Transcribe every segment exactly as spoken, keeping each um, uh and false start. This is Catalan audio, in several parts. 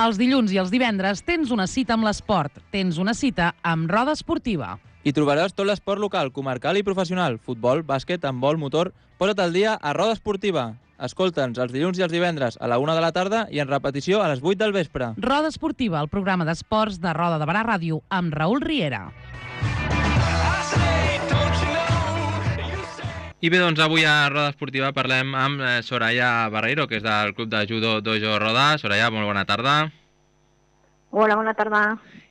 Els dilluns i els divendres tens una cita amb l'esport. Tens una cita amb Roda Esportiva. Hi trobaràs tot l'esport local, comarcal i professional. Futbol, bàsquet, handbol, motor... Posa't al dia a Roda Esportiva. Escolta'ns els dilluns i els divendres a la una de la tarda i en repetició a les vuit del vespre. Roda Esportiva, el programa d'esports de Roda de Barà Ràdio, amb Raül Riera. I bé, doncs avui a Roda Esportiva parlem amb Soraya Barreiro, que és del Club de Judo Dojo Roda. Soraya, molt bona tarda. Hola, bona tarda.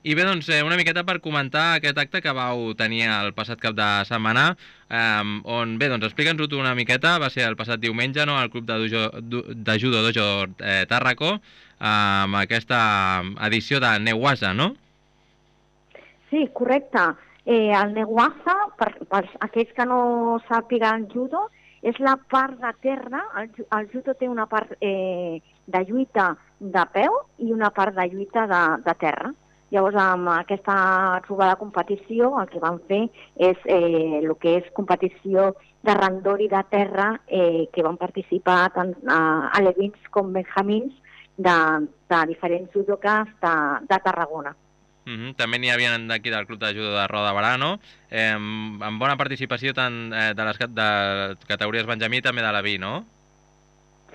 I bé, doncs una miqueta per comentar aquest acte que vau tenir el passat cap de setmana, eh, on, bé, doncs explica'ns-ho tu una miqueta, va ser el passat diumenge, no?, al Club de, Dojo, de Judo Dojo eh, Tàrraco, eh, amb aquesta edició de Neguasa, no? Sí, correcte. Eh, el Neguasa, per, per aquells que no sàpiguen judo, és la part de terra. El, el judo té una part eh, de lluita de peu i una part de lluita de, de terra. Llavors, amb aquesta trobada competició, el que vam fer és eh, el que és competició de randori de terra, eh, que van participar tant eh, alevins com benjamins de, de diferents judokas de, de Tarragona. Mm-hmm. També n'hi havia d'aquí del Club de Judo de Roda de Barà, no? Eh, amb bona participació tant eh, de les de categories benjamí també de l'Aví, no?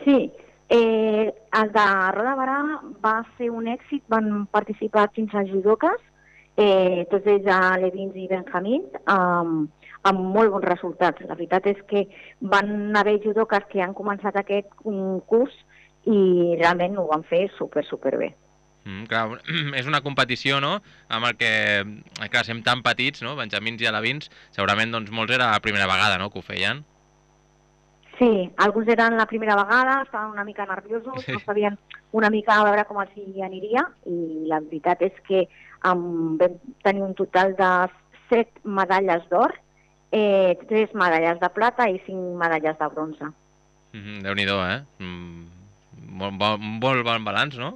Sí, eh, el de Roda de Barà va ser un èxit, van participar quinze judokas, eh, tots ells alevins i benjamins, amb, amb molt bons resultats. La veritat és que van haver judokas que han començat aquest curs i realment ho van fer super, super bé. Mm, clar, és una competició, no?, amb el que, clar, som tan petits, no?, benjamins i alevins, segurament doncs molts era la primera vegada, no?, que ho feien. Sí, alguns eren la primera vegada, estaven una mica nerviosos, sí. No sabien una mica a veure com els hi aniria, i la veritat és que um, vam tenir un total de set medalles d'or, eh, tres medalles de plata i cinc medalles de bronze. Mm-hmm, Déu-n'hi-do, eh? Mm, molt, bon, molt bon balanç, no?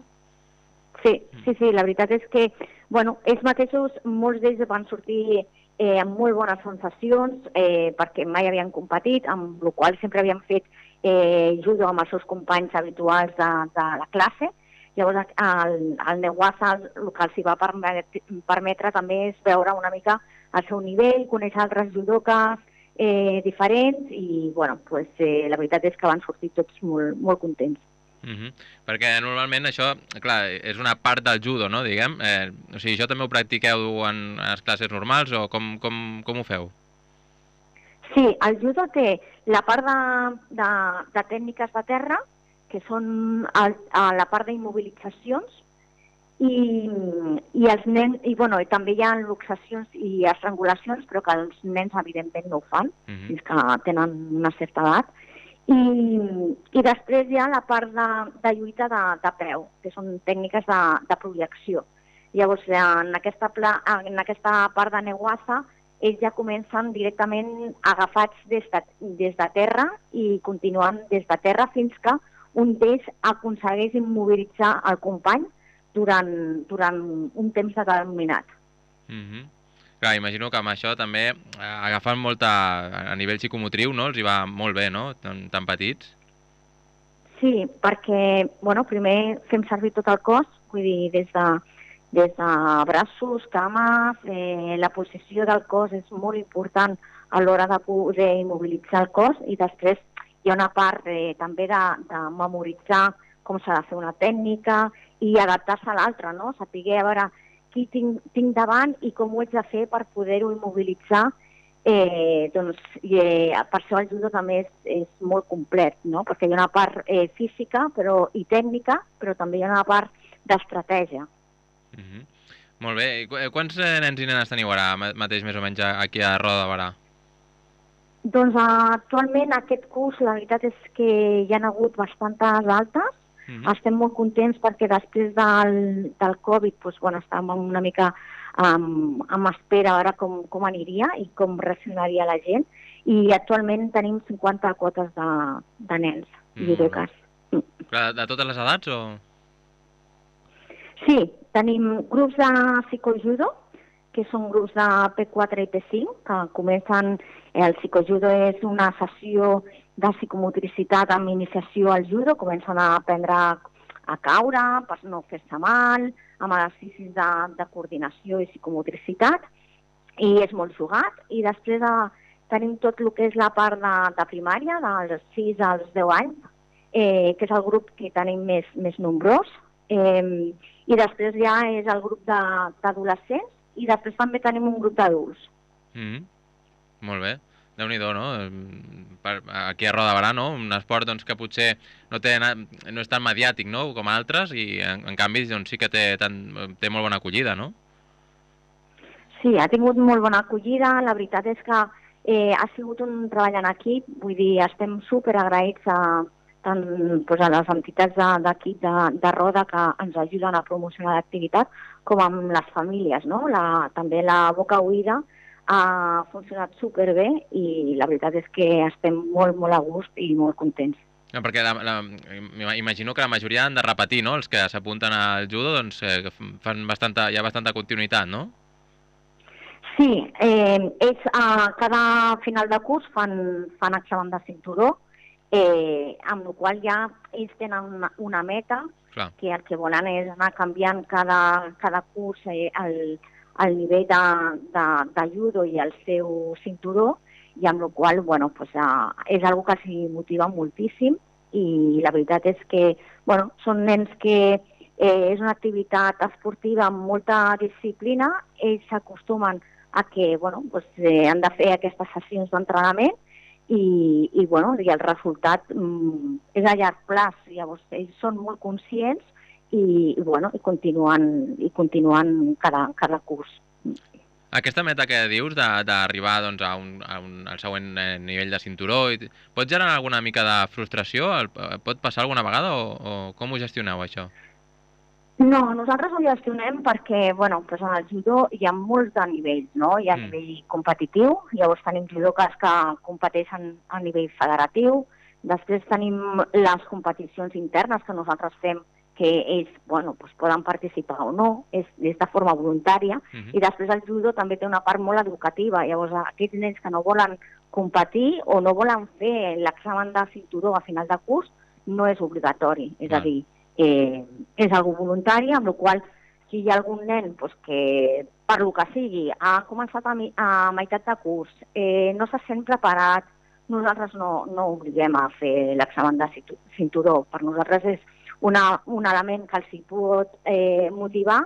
Sí, sí, sí, la veritat és que, bueno, ells mateixos, molts d'ells van sortir eh, amb molt bones sensacions, eh, perquè mai havien competit, amb la qual sempre havien fet eh, judo amb els seus companys habituals de, de la classe. Llavors, el, el Neguasa, el que els va permetre, permetre també és veure una mica el seu nivell, conèixer altres judokas eh, diferents, i, bueno, pues, eh, la veritat és que van sortir tots molt, molt contents. Mm-hmm. Perquè normalment això, clar, és una part del judo, no?, diguem. Eh, o sigui, això també ho practiqueu en les classes normals o com, com, com ho feu? Sí, el judo té la part de, de, de tècniques de terra, que són el, a la part d'immobilitzacions, i, i els nens, i, bueno, i també hi ha luxacions i estrangulacions, però que els nens evidentment no ho fan, mm-hmm. fins que tenen una certa edat. I, i després hi ha la part de, de lluita de, de peu, que són tècniques de, de projecció. Llavors, en aquesta, pla, en aquesta part de Neguasa, ells ja comencen directament agafats des de, des de terra i continuen des de terra fins que un d'ells aconsegueix immobilitzar el company durant, durant un temps determinat. Mm-hmm. Clar, imagino que amb això també eh, agafant molta, a nivell psicomotriu, no?, els hi va molt bé, no?, tan, tan petits. Sí, perquè, bueno, primer fem servir tot el cos, vull dir, des de, des de braços, cames, eh, la posició del cos és molt important a l'hora de poder immobilitzar el cos, i després hi ha una part eh, també de, de memoritzar com s'ha de fer una tècnica i adaptar-se a l'altra, no?, saber a veure qui tinc, tinc davant i com ho haig de fer per poder-ho immobilitzar. Eh, doncs, i, eh, per això el judo també és, és molt complet, no?, perquè hi ha una part eh, física però, i tècnica, però també hi ha una part d'estratègia. Mm-hmm. Molt bé. I quants nens i nenes teniu ara mateix més o menys aquí a Roda de Barà? Doncs actualment aquest curs la veritat és que hi ha hagut bastantes altes. Mm-hmm. Estem molt contents perquè després del, del Covid doncs, bueno, estàvem una mica um, amb espera a veure com, com aniria i com reaccionaria la gent, i actualment tenim cinquanta quotes de, de nens i judokas. Mm. De, de totes les edats o...? Sí, tenim grups de psicojudo, que són grups de P quatre i P cinc, que comencen... El psicojudo és una sessió de psicomotricitat amb iniciació al judo, comencen a aprendre a caure, per no fer-se mal, amb exercicis de, de coordinació i psicomotricitat, i és molt jugat. I després de, tenim tot el que és la part de, de primària, dels sis als deu anys, eh, que és el grup que tenim més, més nombrós, eh, i després ja és el grup d'adolescents, i després també tenim un grup d'adults. Mm-hmm. Molt bé. Déu-n'hi-do, no? Per, aquí a Roda de Berà, no? Un esport doncs, que potser no, té, no és tan mediàtic, no?, com altres, i en, en canvi doncs, sí que té, tan, té molt bona acollida, no? Sí, ha tingut molt bona acollida. La veritat és que eh, ha sigut un treball en equip, vull dir, estem superagraïts a, tant doncs, a les entitats d'equip de, de, de Roda que ens ajuden a promocionar l'activitat, com amb les famílies, no? La, també la Boca Oïda ha funcionat superbé i la veritat és que estem molt, molt a gust i molt contents. No, perquè la, la, imagino que la majoria han de repetir, no? Els que s'apunten al judo, doncs eh, fan bastanta, hi ha bastanta continuïtat, no? Sí, eh, ells a cada final de curs fan, fan examen de cinturó, eh, amb la qual ja ells tenen una, una meta, clar, que el que volen és anar canviant cada, cada curs eh, el el nivell de, de, de judo i el seu cinturó, i amb la qual bueno, pues, uh, és una cosa que els motiva moltíssim, i la veritat és que bueno, són nens que eh, és una activitat esportiva amb molta disciplina, ells s'acostumen a que bueno, pues, eh, han de fer aquestes sessions d'entrenament i, i, bueno, i el resultat mm, és a llarg plaç, llavors ells són molt conscients i, i, bueno, i continuen, i continuen cada, cada curs. Aquesta meta que dius d'arribar doncs, a un, a un, al següent eh, nivell de cinturó, pot generar alguna mica de frustració? El, pot passar alguna vegada o, o com ho gestioneu, això? No, nosaltres ho gestionem perquè bueno, pues en el judo hi ha molts de nivells, no? Hi ha mm. nivell competitiu, llavors tenim judokes que competeixen a nivell federatiu, després tenim les competicions internes que nosaltres fem que ells bueno, pues poden participar o no, és, és de forma voluntària, uh-huh. i després el judo també té una part molt educativa, llavors aquests nens que no volen competir o no volen fer l'examen de cinturó a final de curs no és obligatori, és uh-huh. a dir, eh, és algo voluntari, amb la qual si hi ha algun nen pues, que per lo que sigui ha començat a, mi, a meitat de curs, eh, no se sent preparat, nosaltres no, no obliguem a fer l'examen de cinturó, per nosaltres és Una, un element que els hi pot eh, motivar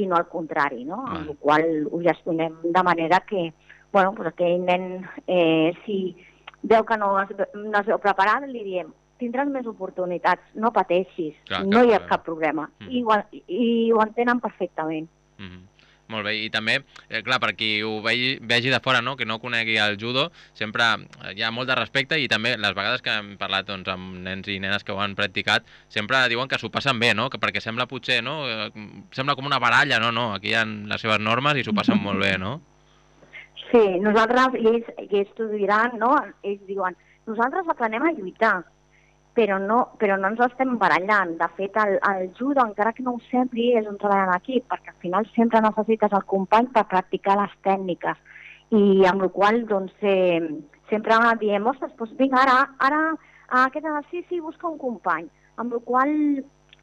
i no al contrari, no? Amb la qual ho gestionem de manera que, bueno, pues aquell nen, eh, si veu que no es, no es veu preparat, li diem, tindràs més oportunitats, no pateixis, clar, no hi ha cap problema. Mm. I, ho, I ho entenen perfectament. Mm. Molt bé, i també, eh, clar, per qui ho vegi, vegi de fora, no?, que no conegui el judo, sempre hi ha molt de respecte i també les vegades que hem parlat doncs, amb nens i nenes que ho han practicat, sempre diuen que s'ho passen bé, no?, que perquè sembla potser, no?, eh, sembla com una baralla, no, no, aquí hi ha les seves normes i s'ho passen molt bé, no? Sí, nosaltres, i ells, i ells t'ho diran, no?, ells diuen, nosaltres aprenem a lluitar, però no, però no ens estem barallant. De fet, el, el judo, encara que no ho sembli, és un treball en equip, perquè al final sempre necessites el company per practicar les tècniques. I amb la qual doncs, eh, sempre diem, ostres, doncs vinga, ara, ara a aquest exercici busca un company. Amb la qual,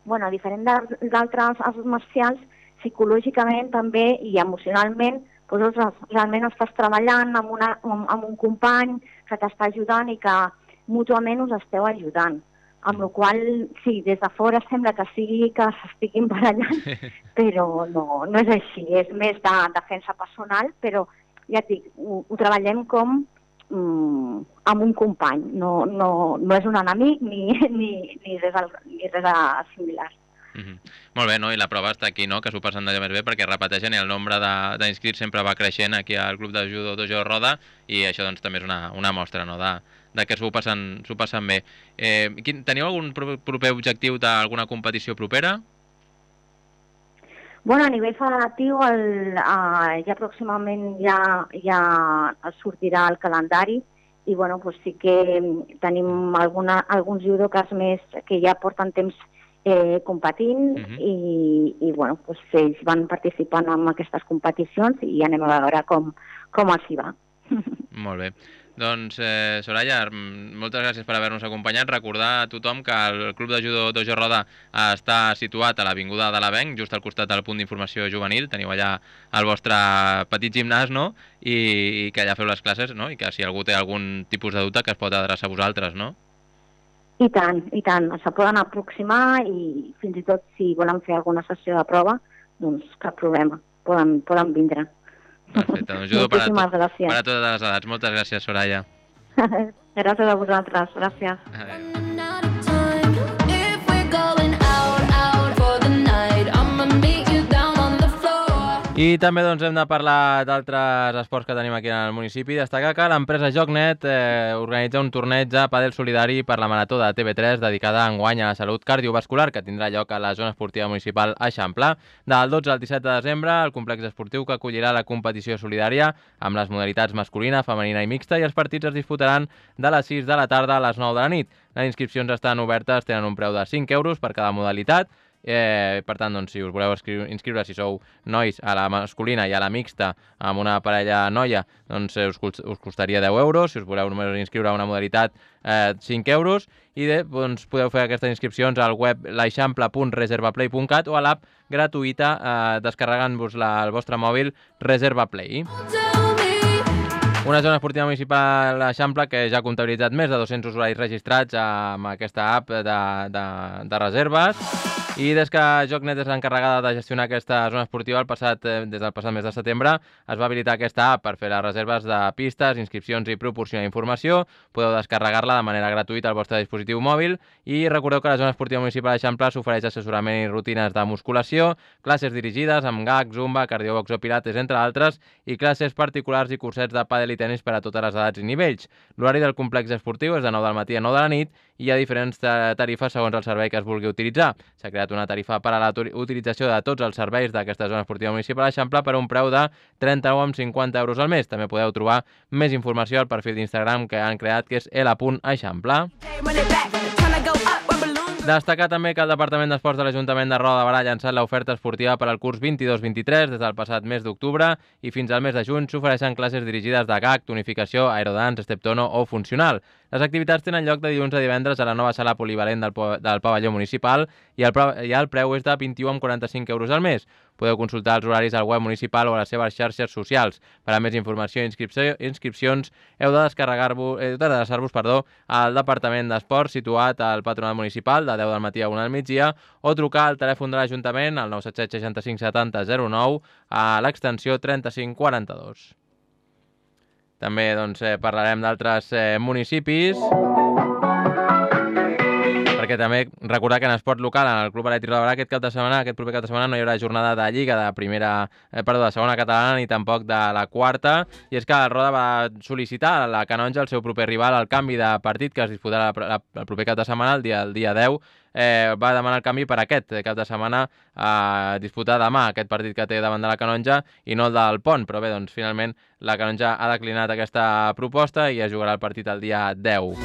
bueno, diferent d'altres arts marcials, psicològicament també i emocionalment, doncs, realment estàs treballant amb, una, amb un company que t'està ajudant i que mútuament us esteu ajudant, amb la qual sí, des de fora sembla que sigui que s'estiguin barallant, però no, no és així, és més de defensa personal, però ja et dic, ho, ho treballem com mm, amb un company, no, no, no és un enemic ni, ni, ni, res, ni res similar. Mm-hmm. Molt bé, no? I la prova està aquí, no?, que s'ho passen d'allò més bé perquè repeteixen i el nombre d'inscrits sempre va creixent aquí al Club de Judo Dojo Roda i això doncs, també és una, una mostra, no?, de, de que s'ho passen, s'ho passen bé. Eh, quin, teniu algun proper objectiu d'alguna competició propera? Bueno, a nivell federatiu el, uh, ja pròximament ja, ja sortirà el calendari i bueno, pues sí que tenim alguna, alguns judokes més que ja porten temps eh, competint uh-huh. i, i bueno, pues ells van participant en aquestes competicions i anem a veure com, com els hi va. Molt bé. Doncs, eh, Soraya, moltes gràcies per haver-nos acompanyat. Recordar a tothom que el Club de Judo Dojo Roda està situat a l'Avinguda de l'Avenc, just al costat del punt d'informació juvenil. Teniu allà el vostre petit gimnàs, no? I, i que allà feu les classes, no? I que si algú té algun tipus de dubte que es pot adreçar a vosaltres, no? I tant, i tant. Se poden aproximar i fins i tot si volen fer alguna sessió de prova, doncs cap problema, poden, poden vindre. Perfecte, doncs judo per a, Moltíssimes tot, gràcies. per a totes les edats. Moltes gràcies, Soraya. Gràcies a vosaltres, gràcies. Adéu. I també doncs, hem de parlar d'altres esports que tenim aquí en el municipi. Destacar que l'empresa Jocnet eh, organitza un torneig de pàdel solidari per la Marató de T V tres dedicada enguany a la salut cardiovascular que tindrà lloc a la zona esportiva municipal Eixample. Del dotze al disset de desembre, el complex esportiu que acollirà la competició solidària amb les modalitats masculina, femenina i mixta, i els partits es disputaran de les sis de la tarda a les nou de la nit. Les inscripcions estan obertes, tenen un preu de cinc euros per cada modalitat. Eh, per tant, doncs, si us voleu inscriure, si sou nois a la masculina i a la mixta amb una parella noia, doncs us, us costaria deu euros. Si us voleu només inscriure a una modalitat, eh, cinc euros. I de, doncs, podeu fer aquestes inscripcions al web l'eixample punt reservaplay punt cat o a l'app gratuïta eh, descarregant-vos el vostre mòbil Reservaplay. Una zona esportiva municipal Eixample que ja ha comptabilitzat més de dos-cents usuaris registrats amb aquesta app de, de, de reserves. I des que Jocnet és l'encarregada de gestionar aquesta zona esportiva el passat, des del passat mes de setembre, es va habilitar aquesta app per fer les reserves de pistes, inscripcions i proporcionar informació. Podeu descarregar-la de manera gratuïta al vostre dispositiu mòbil i recordeu que la zona esportiva municipal d'Eixample s'ofereix assessorament i rutines de musculació, classes dirigides amb G A C, Zumba, cardiobox o pilates, entre altres, i classes particulars i cursets de pàdel i tenis per a totes les edats i nivells. L'horari del complex esportiu és de nou del matí a nou de la nit i hi ha diferents tarifes segons el servei que es vulgui utilitzar. S'ha creat una tarifa per a la utilització de tots els serveis d'aquesta zona esportiva municipal d'Eixample per un preu de trenta-u coma cinquanta euros al mes. També podeu trobar més informació al perfil d'Instagram que han creat, que és l punt eixample. Destacar també que el Departament d'Esports de l'Ajuntament de Roda de Barà ha llançat l'oferta esportiva per al curs vint-i-dos vint-i-tres des del passat mes d'octubre i fins al mes de juny s'ofereixen classes dirigides de G A C, tonificació, aerodance, step-tono o funcional. Les activitats tenen lloc de dilluns a divendres a la nova sala polivalent del, del pavelló municipal i el, i el preu és de vint-i-u coma quaranta-cinc euros al mes. Podeu consultar els horaris al web municipal o a les seves xarxes socials. Per a més informació i inscripció, inscripcions heu de descarregar-vos, heu d'adreçar-vos, perdó, al Departament d'Esports situat al Patronat Municipal de deu del matí a una del migdia o trucar al telèfon de l'Ajuntament al nou set set seixanta-cinc setanta zero nou a l'extensió trenta-cinc quaranta-dos. També doncs, eh, parlarem d'altres eh, municipis, perquè també recordar que en esport local, en el Club Elèctric de Barà, aquest cap de setmana, aquest proper cap de setmana no hi haurà jornada de Lliga de primera, eh, perdó, de segona catalana ni tampoc de la quarta, i és que el Roda va sol·licitar a la Canonja el seu proper rival al canvi de partit que es disputarà el proper cap de setmana, el dia, el dia deu, eh, va demanar el canvi per aquest cap de setmana a disputar demà aquest partit que té davant de la Canonja i no el del Pont, però bé, doncs finalment la Canonja ha declinat aquesta proposta i es jugarà el partit el dia deu.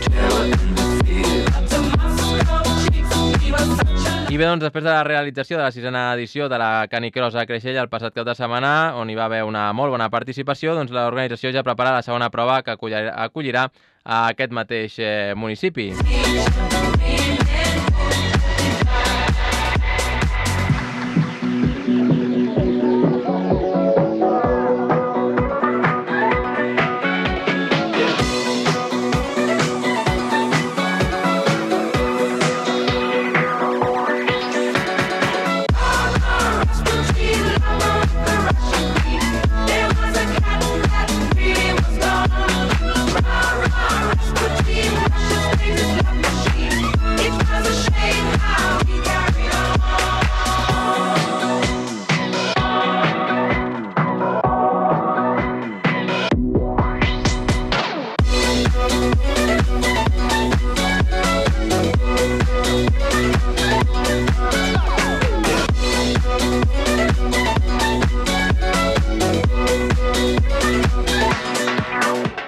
I bé, doncs, després de la realització de la sisena edició de la Canicross a Creixell el passat cap de setmana, on hi va haver una molt bona participació, doncs l'organització ja prepara la segona prova que acollirà, acollirà a aquest mateix eh, municipi.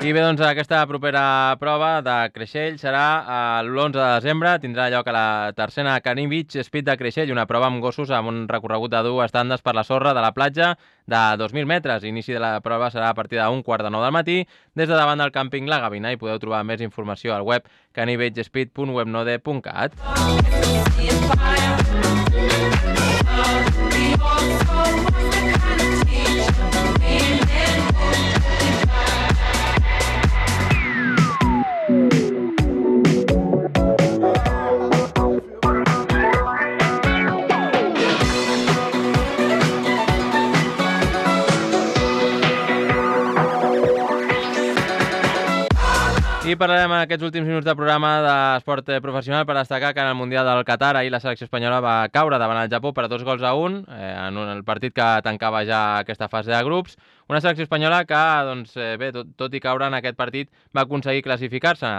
I bé, doncs aquesta propera prova de Creixell serà l'onze de desembre, tindrà lloc a la tercera Canny Beach Speed de Creixell, una prova amb gossos amb un recorregut de dur estàndards per la sorra de la platja de dos mil metres. L'inici de la prova serà a partir d'un quart de nou del matí des de davant del càmping La Gavina i podeu trobar més informació al web canny beach speed punt webnode punt cat. I parlarem en aquests últims minuts del programa d'esport professional per destacar que en el Mundial del Qatar ahir la selecció espanyola va caure davant el Japó per dos gols a un eh, en un, el partit que tancava ja aquesta fase de grups. Una selecció espanyola que, doncs, eh, bé, tot, tot i caure en aquest partit, va aconseguir classificar-se.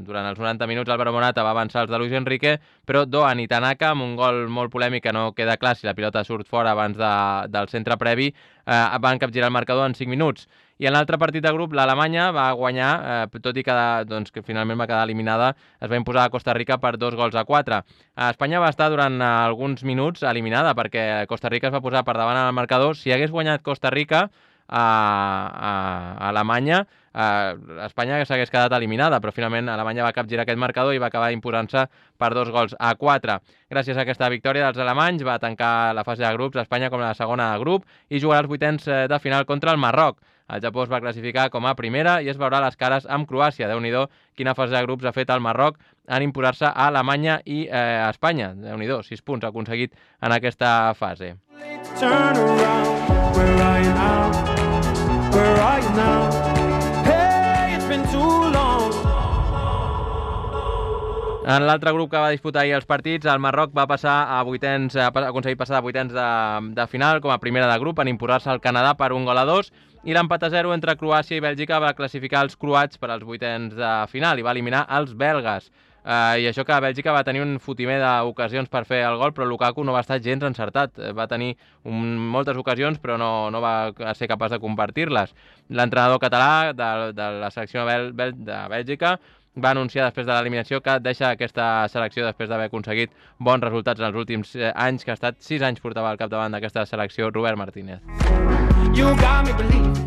Durant els noranta minuts Álvaro Morata va avançar els de Luis Enrique, però Doan i Tanaka, amb un gol molt polèmic que no queda clar si la pilota surt fora abans de, del centre previ, eh, van capgirar el marcador en cinc minuts. I en l'altre partit de grup, l'Alemanya va guanyar, eh, tot i que, doncs, que finalment va quedar eliminada, es va imposar a Costa Rica per dos gols a quatre. Espanya va estar durant alguns minuts eliminada perquè Costa Rica es va posar per davant al marcador. Si hagués guanyat Costa Rica a, a, a Alemanya, eh, Espanya s'hagués quedat eliminada, però finalment Alemanya va capgirar aquest marcador i va acabar imposant-se per dos gols a quatre. Gràcies a aquesta victòria dels alemanys va tancar la fase de grups Espanya com la segona de grup i jugarà els vuitens de final contra el Marroc. El Japó es va classificar com a primera i es veurà les cares amb Croàcia. Déu-n'hi-do quina fase de grups ha fet el Marroc en imposar-se a Alemanya i eh, a Espanya. Déu-n'hi-do, sis punts ha aconseguit en aquesta fase. Turn around, where are you now? Where are you now? Hey, it's been too long. En l'altre grup que va disputar ahir els partits, el Marroc va passar a vuitens, a aconseguir passar a vuitens de, de final com a primera de grup en imposar-se al Canadà per un gol a dos, i l'empat a zero entre Croàcia i Bèlgica va classificar els croats per als vuitens de final i va eliminar els belgues. Uh, I això que Bèlgica va tenir un fotimer d'ocasions per fer el gol, però Lukaku no va estar gens encertat. Va tenir un, moltes ocasions, però no, no va ser capaç de compartir-les. L'entrenador català de, de la selecció Bèl de Bèlgica va anunciar després de l'eliminació que deixa aquesta selecció després d'haver aconseguit bons resultats en els últims anys, que ha estat sis anys portava al capdavant d'aquesta selecció Robert Martínez.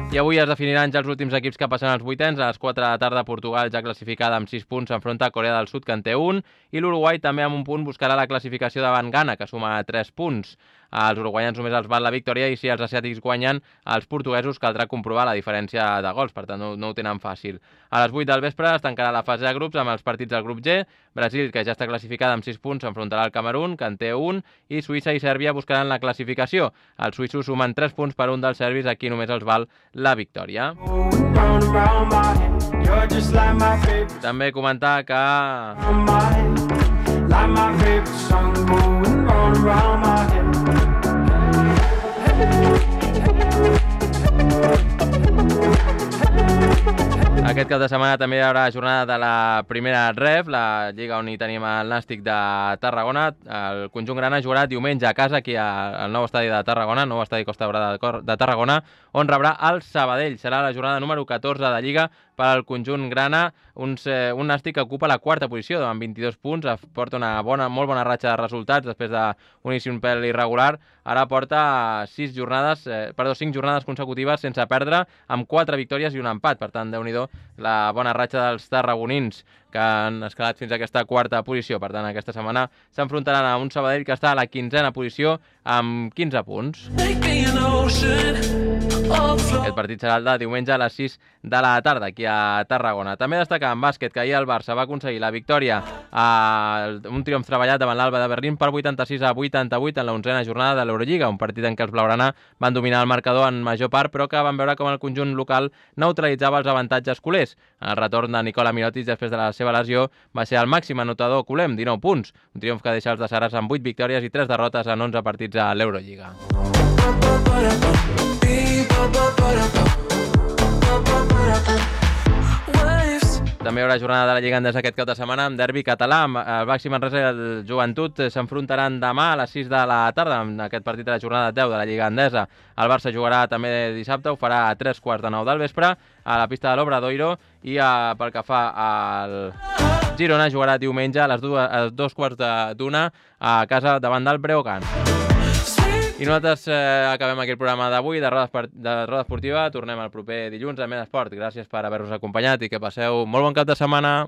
I avui es definiran ja els últims equips que passen als vuitens. A les quatre de la tarda, Portugal, ja classificada amb sis punts, s'enfronta a Corea del Sud, que en té un, i l'Uruguai també amb un punt buscarà la classificació davant Ghana, que suma tres punts. Els uruguaians només els val la victòria i si els asiàtics guanyen, els portuguesos caldrà comprovar la diferència de gols, per tant no, no ho tenen fàcil. A les vuit del vespre es tancarà la fase de grups amb els partits del grup G. Brasil, que ja està classificada amb sis punts, s'enfrontarà al Camerun, que en té un, i Suïssa i Sèrbia buscaran la classificació. Els suïssos sumen tres punts per un dels serbis, aquí només els val la victòria. També comentar que... Like my favorite song going round and round my head. Aquest cap de setmana també hi haurà jornada de la primera Ref, la lliga on hi tenim el Nàstic de Tarragona. El conjunt grana jugarà diumenge a casa aquí al nou estadi de Tarragona, nou estadi Costa Daurada de Tarragona, on rebrà el Sabadell. Serà la jornada número catorze de Lliga per al conjunt grana, uns, eh, un Nàstic que ocupa la quarta posició amb vint-i-dos punts, porta una bona, molt bona ratxa de resultats després d'un inici un pèl irregular. Ara porta sis jornades, eh, perdó, cinc jornades consecutives sense perdre, amb quatre victòries i un empat. Per tant, Déu-n'hi-do la bona ratxa dels tarragonins, que han escalat fins a aquesta quarta posició. Per tant, aquesta setmana s'enfrontaran a un Sabadell que està a la quinzena posició amb quinze punts. Aquest partit serà el de diumenge a les sis de la tarda aquí a Tarragona. També destacar en bàsquet que ahir el Barça va aconseguir la victòria, a un triomf treballat davant l'Alba de Berlín per vuitanta-sis a vuitanta-vuit en la onzena jornada de l'Eurolliga, un partit en què els blaugrana van dominar el marcador en major part, però que van veure com el conjunt local neutralitzava els avantatges culers. El retorn de Nikola Mirotic després de la seva lesió va ser el màxim anotador culer amb dinou punts, un triomf que deixa els de Saras amb vuit victòries i tres derrotes en onze partits a l'Eurolliga. també hi haurà jornada de la Lliga Endesa aquest cap de setmana amb derbi català. El Baxi Manresa i el Joventut s'enfrontaran demà a les sis de la tarda en aquest partit de la jornada deu de la Lliga Endesa. El Barça jugarà també dissabte, ho farà a tres quarts de nou del vespre a la pista de l'Obradoiro i a, pel que fa al Girona jugarà diumenge a les dues, a dos quarts d'una a casa davant del Breogán. I nosaltres eh, acabem aquí el programa d'avui de Roda, de Roda Esportiva. Tornem el proper dilluns a Més Esport. Gràcies per haver-nos acompanyat i que passeu molt bon cap de setmana.